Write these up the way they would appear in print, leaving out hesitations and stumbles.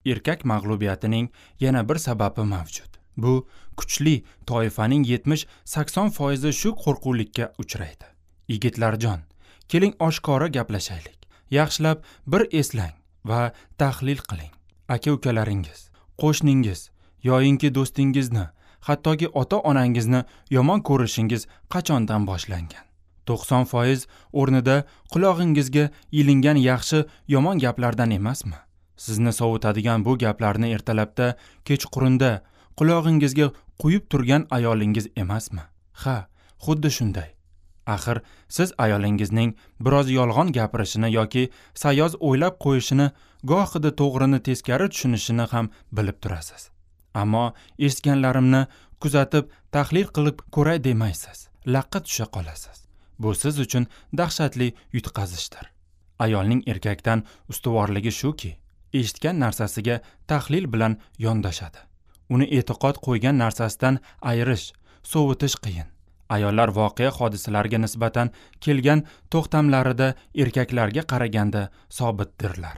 Erkak mag'lubiyatining yana bir sababi mavjud. Bu kuchli toifaning 70-80% shu qo'rquvlikka uchraydi. Yigitlarjon, keling oshkora gaplashaylik. Yaxshilab bir eslang va tahlil qiling. Aka-ukalaringiz, qo'shningiz yoyinki do'stingizni, hattoki ota-onangizni yomon ko'rishingiz qachondan boshlangan? 90% o'rnida qulog'ingizga ilingan yaxshi yomon gaplardan emasmi? Sizni sovutadigan bu gaplarni ertalabda, kechqurunda qulog'ingizga quyib turgan ayolingiz emasmi? Ha, xuddi shunday. Axir siz ayolingizning biroz yolg'on gapirishini yoki sayoz o'ylab qo'yishini, gohida to'g'rini teskari tushunishini ham bilib turasiz. Ammo eshitganlarimni kuzatib, tahlil qilib ko'ray demaysiz. Laqqa tusha qolasiz. Bu siz uchun dahshatli yutqazishdir. Ayolning erkakdan ustuvorligi shuki, eshitgan narsasiga tahlil bilan yondoshadi. Uni e'tiqod qo'ygan narsasidan ayirish, sovutish qiyin. Ayollar voqea hodisalarga nisbatan kelgan to'xtamlarida erkaklarga qaraganda sobitdirlar.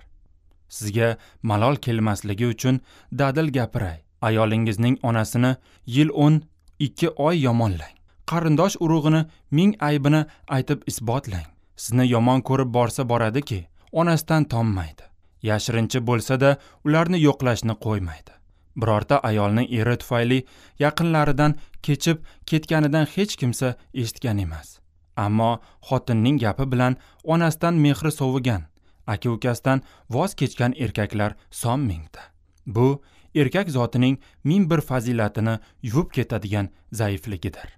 Sizga malol kelmasligi uchun dadil gapiray. Ayolingizning onasini yil 12 oy yomonlang. Qarindosh urug'ini ming aybini aytib isbotlang. Sizni yomon ko'rib borsa boradiki, onasidan tonmaydi. Yashirincha bo'lsa-da ularni yo'qlashni qo'ymaydi. Birorta ayolning eri tufayli yaqinlaridan kechib ketganidan hech kimsa eshitgan emas. Ammo xotinning gapi bilan onasidan mehri sovigan, aka-ukasidan voz kechgan erkaklar son mingta. Bu erkak zotining ming bir fazilatini yuvib ketadigan zaifligidir.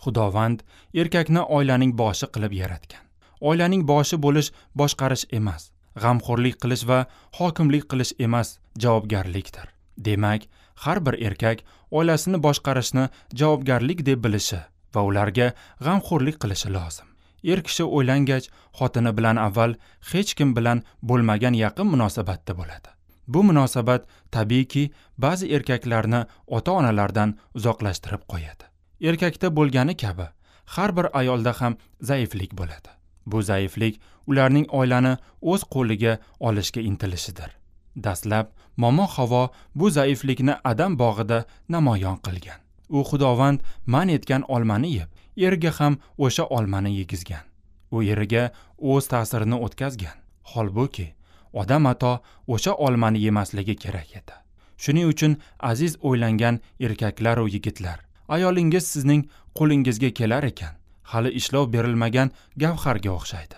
Xudovand erkakni oilaning boshi qilib yaratgan. Oilaning boshi bo'lish boshqarish emas, g'amxo'rlik qilish va hokimlik qilish emas, javobgarlikdir. Demak, har bir erkak oilasini boshqarishni javobgarlik deb bilishi va ularga g'amxo'rlik qilishi lozim. Er kishi o'ylangach, xotini bilan avval hech kim bilan bo'lmagan yaqin munosabatda bo'ladi. Bu munosabat tabiiyki ba'zi erkaklarni ota-onalardan uzoqlashtirib qo'yadi. Erkakda bo'lgani kabi har bir ayolda ham zaiflik bo'ladi. Bu zaiflik ularning oilani o'z qo'liga olishga intilishidir. Dastlab Momo Havo bu zaiflikni Adam bog'ida namoyon qilgan. U Xudovand man etgan olmani yeb, erga ham o'sha olmani yegizgan. U eriga o'z ta'sirini o'tkazgan. Holbuki Odam ato o'sha olmani yemasligi kerak edi. Shuning uchun aziz o'ylangan erkaklar va yigitlar, ayolingiz sizning qo'lingizga kelar ekan, hali ishlov berilmagan gavharga o'xshaydi.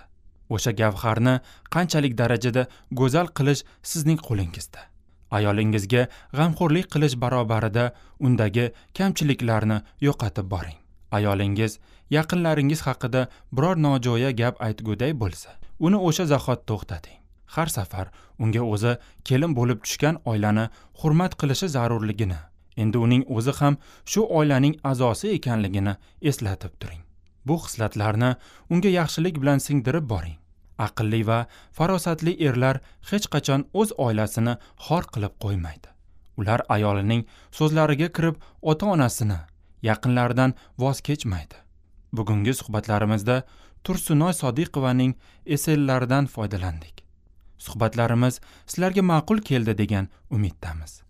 O'sha gavharni qanchalik darajada go'zal qilish sizning qo'lingizda. Ayolingizga g'amxo'rlik qilish barobarida undagi kamchiliklarni yo'qotib boring. Ayolingiz yaqinlaringiz haqida biror nojo'ya gap aytguday bo'lsa, uni o'sha zahot to'xtating. Har safar unga o'zi kelin bo'lib tushgan oilani hurmat qilishi zarurligini, endi uning o'zi ham shu oilaning a'zosi ekanligini eslatib turing. Bu xislatlarni unga yaxshilik bilan singdirib boring. Aqlli va farosatli erlar hech qachon o'z oilasini xor qilib qo'ymaydi. Ular ayolining so'zlariga kirib ota-onasini, yaqinlaridan voz kechmaydi. Bugungi suhbatlarimizda Tursunoy Sodiqovaning esselaridan foydalandik. Suhbatlarimiz sizlarga ma'qul keldi degan umiddamiz.